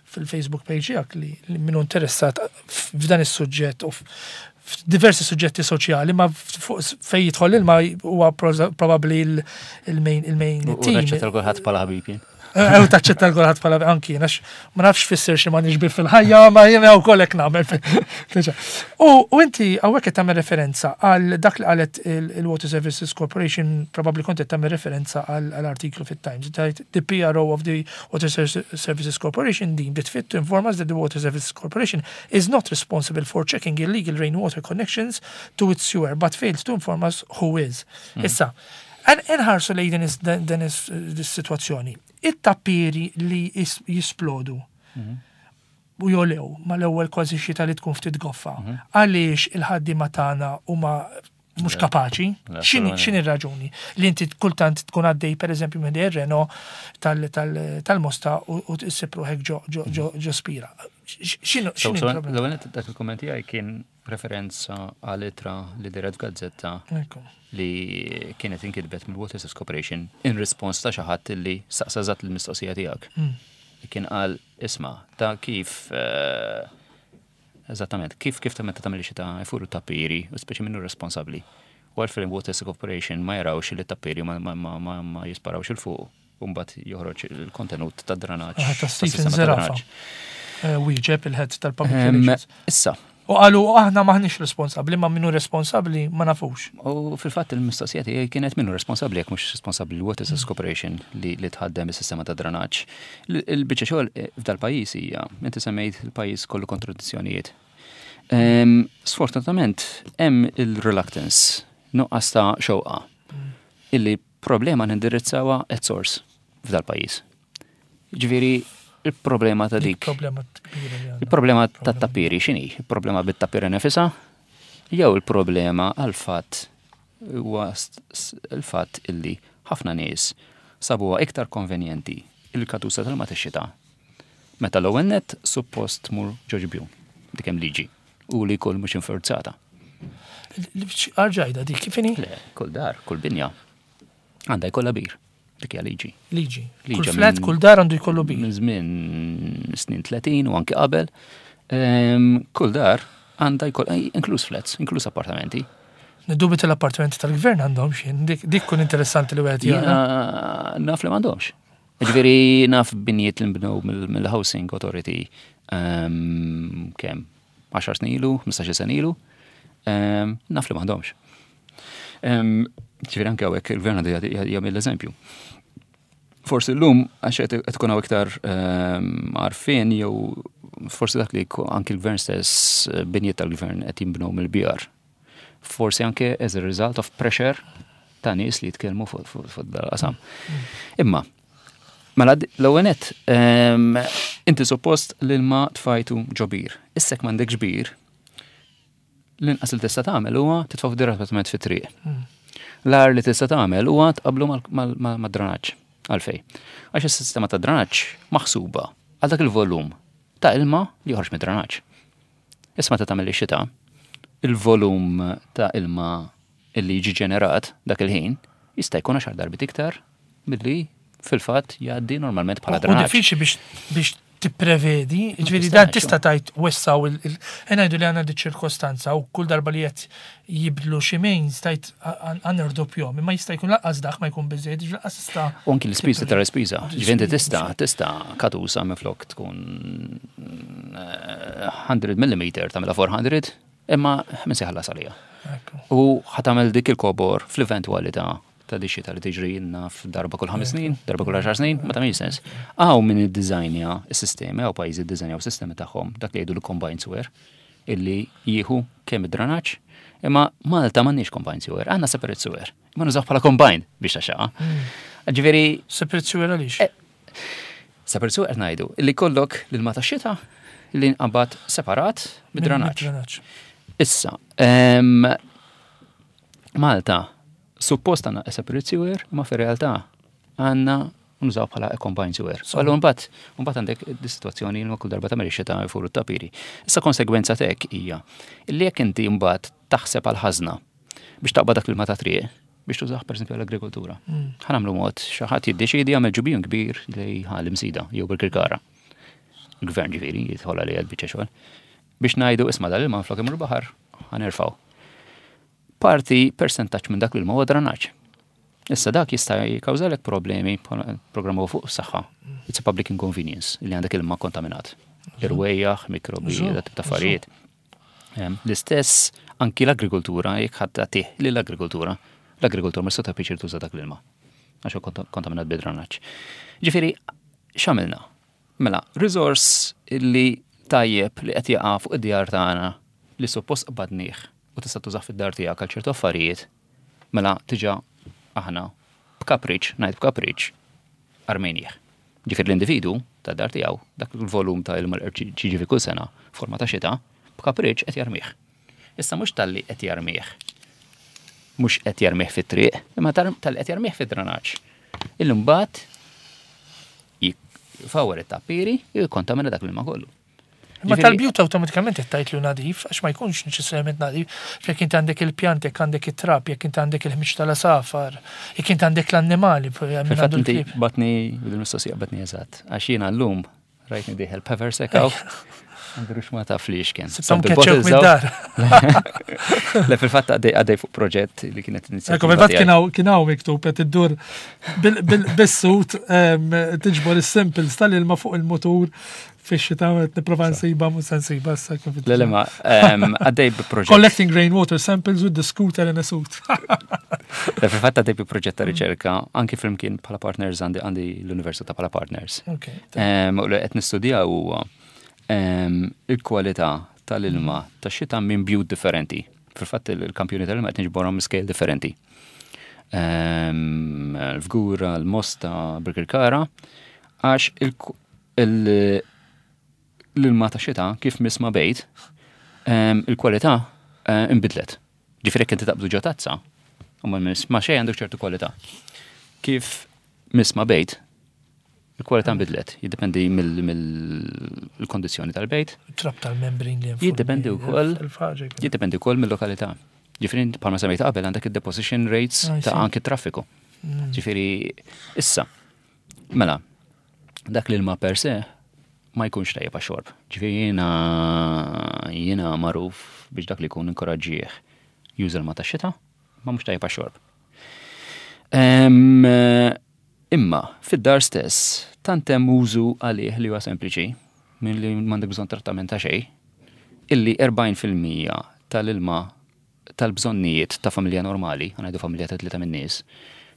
fil-Facebook page tiegħek li, li minnu interessat f'dan is-suġġett u f'diversi suġġetti soċjali, ma fej jidħol ilma huwa probabbli il-main il-main team. U kulħadd bħala ħabib jien. Ew taċċetta l-kulħadd bħala anki għax ma nafx fisser xi ma nixbih fil-ħajja ma jiena wkoll hekk nagħmel. U inti hawnhekk qed tagħmel referenza għal dak li qalet il-Water Services Corporation probabbli kont qed tagħmel referenza għal artiklu fit-Times. The PRO of the Water Services Corporation deemed it fit to inform us that the Water Services Corporation is not responsible for checking illegal rainwater connections to its sewer but failed to inform us who is. Issa, Inħarsu lejn din is-sitwazzjoni. It-tappieri li jisplodu u jolew mal-ewwel kważi xita li tkun ftit goffa. Għaliex il-ħaddiema tagħna huma mhux kapaċi? X'inhi r-raġuni? Li inti kultant tkun għaddej pereżempju minn ir-Reno tal-Mosta u issib ruħek ġo spira. X'inhu il-problema? L-ewwel dak il-kumment tiegħi kien referenza għal ittra li dehret f'gazzetta li kienet inkitbet mill-Water Service Corporation in response ta' xi ħadd li saqsa eżatt il-mistoqsija tiegħek. Kien qal isma' ta' kif eh, eżattament kif kif ta' meta tagħmel xita jfuru tapiri u speċi minnu responsabbli. U għalfejn Water Service Corporation ma jarawx li tapiri ma, ma, ma, ma, ma jisparawx il fuq u mbagħad joħroġ il-kontenut ta' dranaġġ. Ah, ta' Stephen Zerafa. Eh, wieġeb il-head tal-Public Relations. Issa. U qalu aħna maħniex responsabbli, ma minnu responsabbli ma nafux. U fil-fatt il-mistoqsija tiegħi kienet minnu responsabbli jekk mhux responsabbli l-Water Service Corporation li, li tħaddem is-sistema ta' dranaġġ. Il-biċċa xogħol eh, f'dal-pajjiż hija, inti semmejt il-pajjiż kollu kontradizzjonijiet. Sfortunatament hemm il-reluctance, nuqqas ta' xewqa illi Problema nindirizzawha at source f'dal-pajjiż. Ġifieri il-problema ta' dik. Problema kbira li għandna. Il-problema tat-tappieri x'inhi? Il-problema bit-tappieri nefisha? Jew il-problema għall-fatt huwa il-fatt illi ħafna nies sabuha iktar konvenjenti il-katusa tal-ilma tax-xita meta l-ewwel nett suppost tmur ġo ġibjun. Dik hemm liġi u li jkun mhux infurzata. Arġajda dik kif inhi? Le, kull dar, kull binja għandha jkollha bir. Dik hija liġi. Liġi. Kull flat, kull dar għandu jkollu bir. Minn żmien snin 30 u anki qabel. Kull dar għandha jkoll eh, inkluż flats, inkluż appartamenti. Niddubita l-appartamenti tal-gvern għandhom x'in, dik kun interessanti li wieħed jara. Naf li m'għandhomx. Ġifieri naf binjiet li nbnew mill-Housing Authority kemm 10 snin ilu, 15 sena ilu, naf li m'għandhomx. Ġifieri anke hawnhekk il-gvern għandu jagħmel l-eżempju. Forsi llum għax qed ikun hawn iktar għarfien jew forsi dak li anki l-gvern stess binjiet tal-gvern qed jinbnew mill-BR. Forsi anke as a result of pressure ta' nies li jitkellmu fuq dal-qasam. Imma, mela l-ewwel nett, inti suppost l-ilma tfajtu ġo bir. Issa jekk m'għandekx bir, l-inqas li tista' tagħmel huwa titfgħu direttament fit-triq. L-agħar li tista' tagħmel huwa tqabblu mad-dranaġġ. Għalfejn? Għax is-sistema ta' dranaġġ maħsuba għal dak il-volum ta' ilma li joħroġ mid-dranaġġ. Issa meta tagħmel ix-xita, il-volum ta' ilma illi jiġi ġenerat dak il-ħin jista' jkun għaxar darbiet iktar milli fil-fatt jgħaddi normalment bħala drenaġġ. U diffiċli biex biex tipprevedi, ġifieri dan tista' tgħid wessaw il ngħidu li għandna di ċirkostanza u kull darba li qed jibdlu xi mains tgħid għandna rdoppjhom, imma jista' jkun lanqas dak ma jkun biżejjed, ġifieri lanqas tista'. U anki l-ispiża tara l-ispiża, ġifieri inti tista' tista' katusa minflok tkun 100 mm tagħmilha 400, Imma min se jħallas għaliha? U ħa tagħmel dik il-kobor fl-eventwalità ta' di xita li tiġri naf darba kull ħames snin, darba kull għaxar snin, ma tagħmilx sens. Hawn min iddiżajnja s-sistemi, hawn pajjiżi ddiżajnjaw sistemi tagħhom, dak li jgħidu l-combined sewer, illi jieħu kemm id-dranaġġ, imma Malta m'għandniex combined sewer, għandna separate sewer. Ma nużaw bħala combined biex taxxaqa. Ġifieri. Separate sewer għaliex? Eh, Separate sewer qed ngħidu li kollok l-ilma tax-xita li nqabad separat mid-dranaġġ. Issa, Malta suppost għandna separate sewer, ma fir-realtà għandna nużaw bħala combined sewer. Allura mbagħad mbagħad għandek dis-sitwazzjoni li kull darba tagħmel ix-xita jfuru t-tapiri. Issa konsegwenza t'hekk hija li jekk inti mbagħad taħseb għal ħażna biex taqbad dak l-ilma ta' triq biex tużah pereżempju għall-agrikoltura. Ħa nagħmlu mod xi ħadd jiddeċiedi jagħmel ġubijun kbir li ħal imsida jew bil-kirkara. Il-gvern ġifieri jidħol għalija l-biċċa xogħol. Biex ngħidu isma' dal-ilma flok imur baħar ħa nerfgħu. Parti persentaġġ minn dak l-ilma huwa dranaġġ. Issa dak jista' jikkawżalek problemi programm fuq saħħa. It's a public inconvenience li għandek ilma kontaminat. Irwejjaħ, mikrobi, dat tip ta' affarijiet. L-istess anki l-agrikoltura, jekk ħadd tagħtih lill-agrikoltura, l-agrikoltura ma tista' pjaċir tuża dak l-ilma. Għax kontaminat bid-dranaġġ. Ġifieri, x'għamilna? Mela, resource li tajjeb li qed jaqa' fuq id-djar tagħna li suppost qbadnih u tista' tużah fid-dar tiegħek għal ċertu affarijiet, mela diġà aħna b'kapriċ, ngħid b'kapriċ, armejnieh. Ġifieri l-individu tad-dar tiegħu dak il-volum ta' ilma li qed jiġi kull sena forma ta' xita, b'kapriċ qed jarmih. Issa mhux talli qed jarmih, mhux qed jarmih fit-triq, imma talli qed jarmih fid-dranaġġ. Illi mbagħad jfawwar it-tappiri u jikkontamina dak l-ilma kollu. Imma tal-bjut awtomatikament qed tgħid li nadif, għax ma jkunx neċessarjament nadif. Jekk inti għandek il-pjant, jekk għandek it-trab, jekk inti għandek il-ħmiġ tal-asafar, jekk inti għandek l-annimali. Fil-fatt inti batni, bil-mistoqsija batni eżatt, għax jiena llum rajtni dieħel pever sekaw. Għandrux ma taf li xkien. Sibtom keċċewk mid-dar. Le fil-fatt għaddej fuq proġett li kienet inizjattiva. Ekku, fil-fatt kien hawn miktub qed iddur bis-sut tiġbor is-samples tal-ilma fuq il-mutur fix-xita qed nipprova nsiba mhux se nsiba issa kif. Le le ma għaddej bi proġett. Collecting rainwater samples with the scooter in a suit. Le fil-fatt għaddej bi proġett ta' riċerka anki flimkien bħala partners għandi għandi l-Università bħala partners. U li qed nistudjaw huwa il-kwalità tal-ilma tax-xita minn bjut differenti. Fil-fatt il-kampjuni tal-ilma qed niġborhom scale differenti. L-Fgura, l-Mosta, Birkirkara, għax l-ilma ta' xita kif miss ma' bejt, il-kwalità inbidlet. Ġifieri jekk inti taqbdu ġo tazza, u ma miss ma' xejn għandek ċertu kwalità. Kif miss ma' bejt, il-kwalità nbidlet, jiddependi mill-kondizzjoni tal-bejt. Trab tal-membrin li Jiddependi wkoll. Jiddependi wkoll mill-lokalità. Ġifieri bħalma semmejt qabel għandek id-deposition rates ta' anki traffiku. Ġifieri issa, mela, dak l-ilma per se ma jkunx tajjeb għax-xorb. Ġifieri jiena jiena magħruf biex dak li jkun inkoraġġih juża l-ma tax-xita, ma mhux tajjeb għax-xorb. Imma fid-dar stess tant hemm użu għalih li huwa sempliċi milli m'għandek bżonn trattament ta' xejn, illi 40% tal-ilma tal-bżonnijiet ta' familja normali, ħa ngħidu familja ta' tlieta min-nies,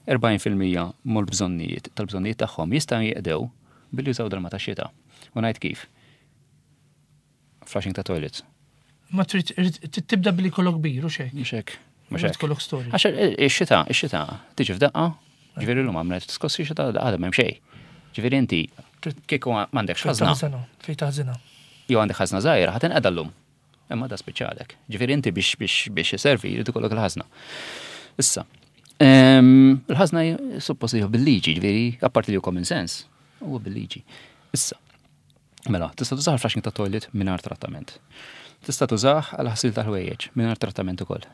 40% mal-bżonnijiet tal-bżonnijiet tagħhom jistgħu jinqdew billi jużaw dal-ilma tax-xita. U ngħid kif. Flushing ta' toilets. Ma trid tibda billi jkollok bir u xejn. Mhux hekk. Mhux hekk. Kollok storage. Għax ix-xita, ix-xita tiġi f'daqqa, ġifieri llum għamlet skossi xita għadha m'hemm xejn. Ġifieri inti kieku m'għandekx ħażna. Fejn taħżinha. Jew għandek ħażna żgħira ħa tinqeda llum. Imma da spiċċalek. Ġifieri inti biex biex biex iservi jrid ikollok il-ħażna. Issa, il-ħażna suppost li bil-liġi, ġifieri apparti li hu common sense, huwa bil-liġi. Issa, mela, tista' tużah għal flushing ta' toilet mingħajr trattament. Tista' tużah għal ħasil tal-ħwejjeġ mingħajr trattament ukoll.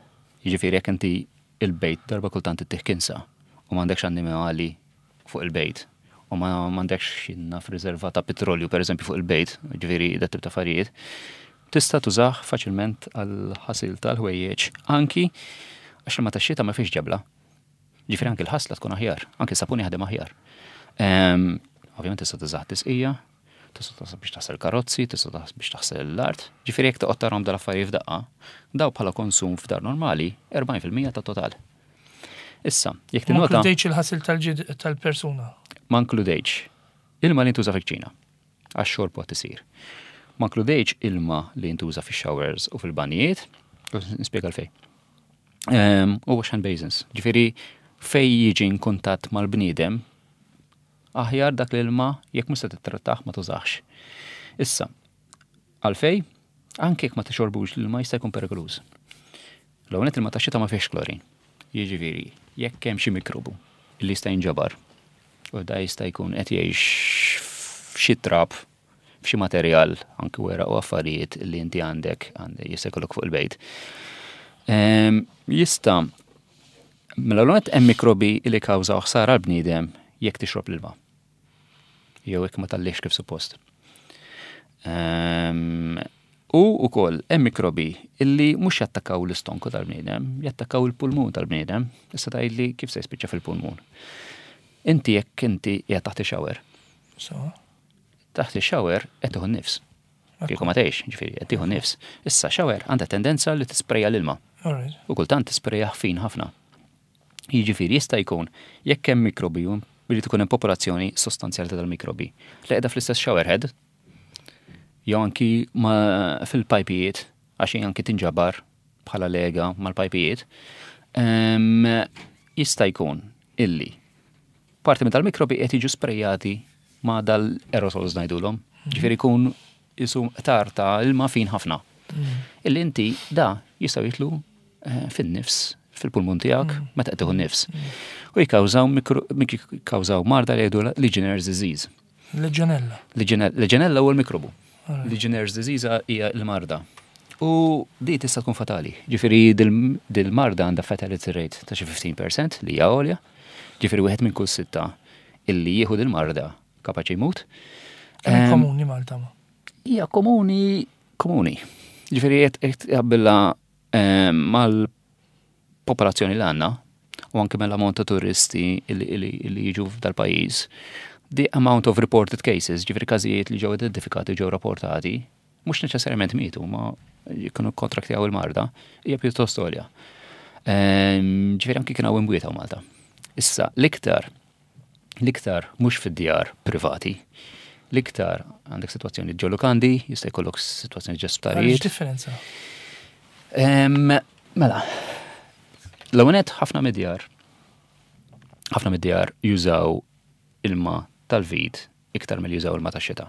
Jiġifieri jekk inti il-bejt darba kultant ittih kinsa u m'għandekx annimali fuq il-bejt u ma m'għandekx naf riserva ta' petrolju pereżempju fuq il-bejt, ġifieri dat tip ta' affarijiet, tista' tużah faċilment għal ħasil tal-ħwejjeġ anki għax l-ilma tax-xita ma fihx ġebla. Ġifieri anki l-ħasla tkun aħjar, anki s-sapun jaħdem aħjar. Ovvjament tista' tużah tisqija, tista' tużah biex taħsel karozzi, tista' tużah biex taħsel l-art. Ġifieri jekk toqgħod tarahom dal-affarijiet f'daqqa, daw bħala konsum f'dar normali 40% tat-total. Issa, jekk tinnota. Ma nkludejtx il-ħasil tal-ġid tal-persuna. Ma nkludejtx ilma li jintuża fil-kċina għax-xorb waqt isir. Ma nkludejtx ilma li jintuża fix-showers u fil-banjijiet, nispjega għalfejn. U wash hand basins. Ġifieri fej jiġi in kuntatt mal-bniedem, aħjar dak l-ilma jekk mhux se tittrattah ma tużax. Issa, għalfej, anke jekk ma tixorbux l-ilma jista' jkun perikoluż. L-ewwel nett ilma tax-xita ma fihx klorin. Jiġifieri, jekk hemm xi mikrobu li jista' jinġabar u da jista' jkun qed jgħix f'xi trab, f'xi materjal, anki weraq u affarijiet li inti għandek, jista' jkollok fuq il-bejt. Jista' mela l hemm mikrobi li kkawżaw ħsara għall-bniedem jekk tixrob l-ilma. Jew jekk ma tgħallihx kif suppost. U wkoll hemm mikrobi illi mhux jattakkaw l-istonku tal-bniedem, jattakkaw il-pulmun tal-bniedem. Issa tgħidli kif se jispiċċa fil-pulmun. Inti jekk inti qiegħed taħt ix-shower. Taħt ix-shower qed tieħu n-nifs. Kieku ma tgħix, ġifieri qed tieħu nifs. Issa shower għandha tendenza li tisprejja l-ilma. U kultant tisprejja fin ħafna. Jiġifieri jista' jkun jekk hemm mikrobi billi tkun hemm popolazzjoni sostanzjali ta' dal-mikrobi li qiegħda fl-istess shower head jew anki fil-pajpijiet għax anki tinġabar bħala lega mal-pajpijiet, jista' jkun illi parti minn tal-mikrobi qed jiġu sprejjati ma' dal-aerosols ngħidulhom. Ġifieri jkun isu qtar ta' ilma fin ħafna. Illi inti da jistgħu jitlu eh, fin-nifs fil-pulmun tiegħek mm. meta qed tieħu nifs. Mm. U jikkawżaw jikkawżaw marda li jgħidu Legionnaires disease. Legionella. Legionella huwa l-mikrobu. Legionnaires disease hija l-marda. U di tista' tkun fatali. Ġifieri dil-marda għandha fatality rate ta' xi 15% li hija għolja. Ġifieri wieħed minn kull sitta illi jieħu dil-marda kapaċi jmut. Kemm komuni Malta ma? Hija komuni komuni. Ġifieri qed jaqbilha mal-popolazzjoni li għandna u anke mill-ammont ta' turisti li jiġu f'dal-pajjiż, the amount of reported cases, ġifieri każijiet li ġew identifikati ġew rapportati, mhux neċessarjament mietu, ma jkunu kontraktjaw il-marda, hija pjuttost għolja. Ġifieri anki kien hawn imwiet hawn Malta. Issa, l-iktar L-iktar mhux fid-djar privati. L-iktar għandek sitwazzjoni ġo lukandi, jista' jkollok sitwazzjoni ġo sptarijiet. Differenza? Mela, l-ewwel ħafna mid-djar ħafna mid-djar jużaw ilma tal-vit iktar mill jużaw ilma tax-xita.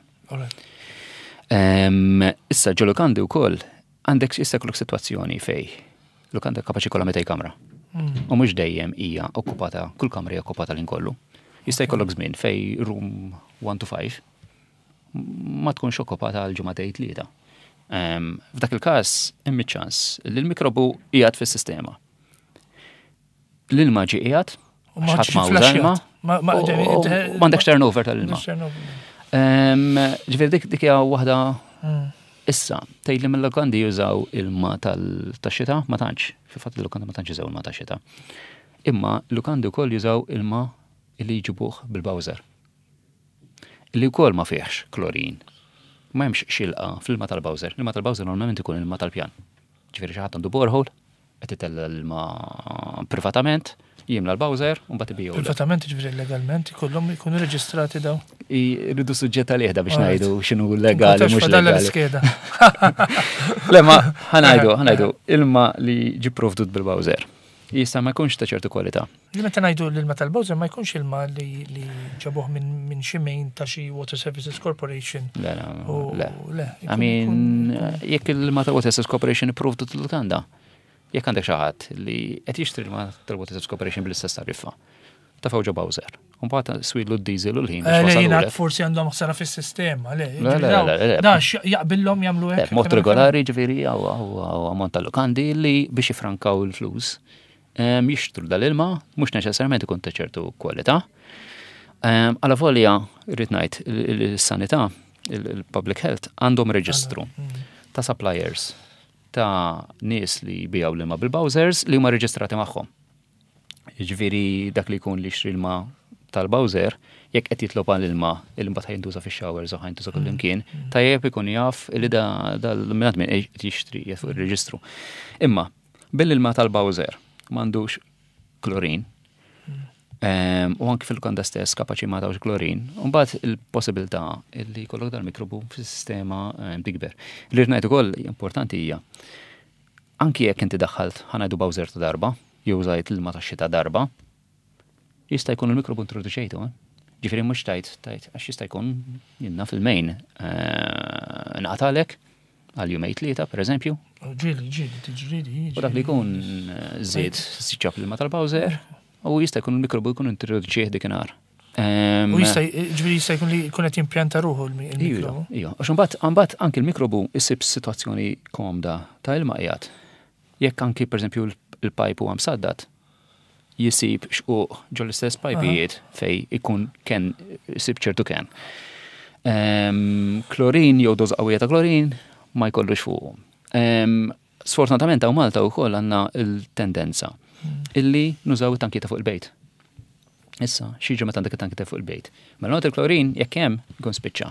Issa ġo lukandi wkoll għandek jista' jkollok sitwazzjoni fej lukanda kapaċi kollha 200 kamra. U mhux dejjem hija okkupata, kull kamra hija okkupata l kollu. Jista' jkollok żmien fej room 1 to 5 ma tkunx okkupata għal ġimgħatej tlieta. F'dak il-każ hemm iċ-ċans li l-mikrobu qiegħed fis-sistema. L-ilma ġie qiegħed, ħadd ma uża ilma, m'għandekx turnover tal-ilma. Ġifieri dik dik hija waħda hmm. issa tgħid li mill-lokandi jużaw ilma tal-xita ma tantx, fil-fatt il-lokandi ma tantx jużaw ilma tax-xita. Imma l-lukandi wkoll jużaw ilma li jġibuh bil-bowser. Li wkoll ma fihx klorin. Ma hemmx xilqa fl-ilma tal-bowser. L-ilma tal-bowser normalment ikun ilma tal-pjan. Ġifieri xi ħadd għandu borehole, qed itella' l-ilma privatament, jimla l-bowser u mbagħad ibigħu. Privatament ġifieri legalment ikollhom ikunu reġistrati daw. Irridu suġġett għalih da biex ngħidu x'inhu legali mhux legali. Le ma ħanajdu, ħanajdu ilma li ġi provdut bil-bowser. Jista' ma jkunx ta' ċertu kwalità. Li meta ngħidu l-ilma tal-bowser ma jkunx ilma li ġabuh minn xi main ta' xi Water Services Corporation. Le, le. Le. I mean, jekk il-ilma ta' Water Services Corporation ipprovdut l-lukanda, jekk għandek xi ħadd li qed jixtri l-ilma tal-Water Services Corporation bl-istess tariffa, tafgħu ġo bowser. Mbagħad swidlu d-diesel u l-ħin. Eh, forsi għandhom ħsara fis-sistema, le. Le, le, le. Da jaqbillhom jagħmlu hekk. Mod regolari ġifieri hawn ammont ta' lukandi li biex jifrankaw il-flus jixtru dal-ilma, mhux neċessarjament ikun ta' ċertu kwalità. Għala volja, rrid ngħid, il-sanità, il-public health għandhom reġistru mm. ta' suppliers ta' nies li jbijaw l-ilma bil-bowsers li huma reġistrati magħhom. Jiġifieri dak li jkun li jixtri ilma tal-bowser, jekk qed jitlob għal ilma li mbagħad ħajntuża fix-showers u ħajntuża kull mm. imkien, mm. tajjeb ikun jaf li da dal-minat minn qed jixtri fuq ir-reġistru. Imma billi ilma tal-bowser m'għandux klorin, mm. u anki fil-lukanda stess kapaċi ma tawx klorin, mbagħad il-possibilità li jkollok dal-mikrobu fis-sistema tikber. Li rnajt ukoll importanti hija Anki jekk inti daħħalt, ħa ngħidu bowser ta' darba, jew użajt l-ilma tax-xita darba, jista' jkun il-mikrobu introduċejtu, eh? Ġifieri mhux tajt, tajt, għax jista' jkun jien naf il-main eh, nqatalek għal jumej tlieta, per eżempju. Ġieli, ġieli, tiġri di. U dak li jkun eh, żied siċċab l-ilma tal-bowser, u jista' jkun il-mikrobu jkun introduċih dikinhar. U jista' ġifieri jista' jkun li jkun qed jimpjanta ruħu l-mikrobu. Iva, għax imbagħad imbagħad anki l-mikrobu jsib sitwazzjoni komda ta' ilma qiegħed. Jekk anki pereżempju l-pajp huwa msaddad, jisib xquq ġo l-istess pajpijiet fej ikun ken isib ċertu ken. Klorin jew doża qawwija ta' klorin ma jkollux fuqu. Sfortunatament hawn Malta wkoll għandna l-tendenza illi nużaw it-tanki ta' fuq il-bejt. Issa, x'jiġri meta għandek it-tanki ta' fuq il-bejt? Mela not il-klorin jekk hemm ikun spiċċa.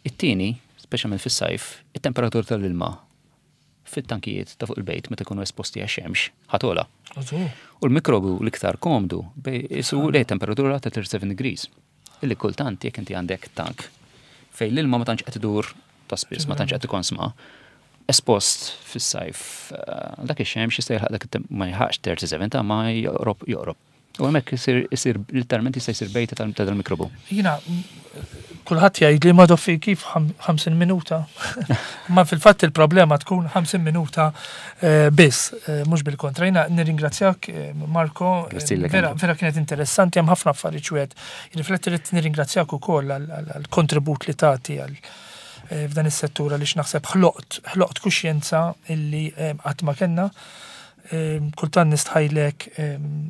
It-tieni, speċjalment fis-sajf, it-temperatura tal-ilma fit-tankijiet ta' fuq il-bejt meta jkunu esposti għax-xemx ħa togħla. U l-mikrobu l-iktar komdu isu lejn temperatura ta' 37 degrees. Illi kultant jekk inti għandek tank fejn l-ilma ma tantx qed idur ta' spiss, ma tantx qed ikonsma, espost fis-sajf eh, dak ix-xemx jista' jilħaq dak ma jilħaqx 37 ta' ma joqrob joqrob. U hemmhekk isir literalment jista' jsir bejta ta' dal-mikrobu. Jiena kulħadd jgħid li ma doffi kif 50 minuta. Ma fil-fatt il-problema tkun 50 minuta eh, biss, eh, mhux bil-kontra. Jiena nirringrazzjak eh, Marko, vera, vera kienet interessanti hemm ħafna affarijiet wieħed. Jirrifletti li nirringrazzjak ukoll għall-kontribut li tagħti għal f'dan is-settur għaliex naħseb ħloqt ħloqt kuxjenza illi qatt ma kellna. Kultant nistħajlek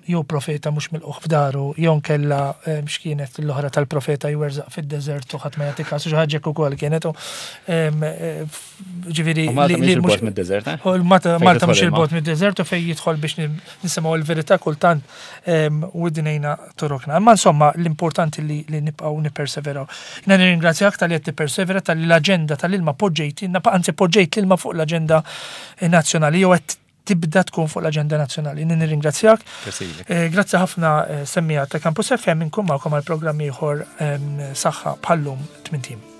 jew profeta mhux milqugħ f'daru, jew nkella x'kienet l-oħra tal-profeta jwerżaq fid-deżert u ħadd ma jagħti kasu xi ħaġa hekk ukoll kienet. Ġifieri. Malta mhix il-bogħod mid-deżert, eh? Malta mhux il-bogħod mid-deżert u fejn jidħol biex nisimgħu l-verità kultant widnejna torokna. Imma insomma l-importanti li nibqgħu nipperseveraw. Jiena nirringrazzjak talli qed tippersevera talli l-aġenda tal-ilma poġġejtilna, anzi poġġejt l-ilma fuq l-aġenda nazzjonali jew qed tibda tkun fuq l-aġenda nazzjonali. Nirringrazzjak. Eh, grazzi ħafna eh, semmija ta' Campus FM inkun magħkom għal programm ieħor ehm, saħħa bħallum tmintim.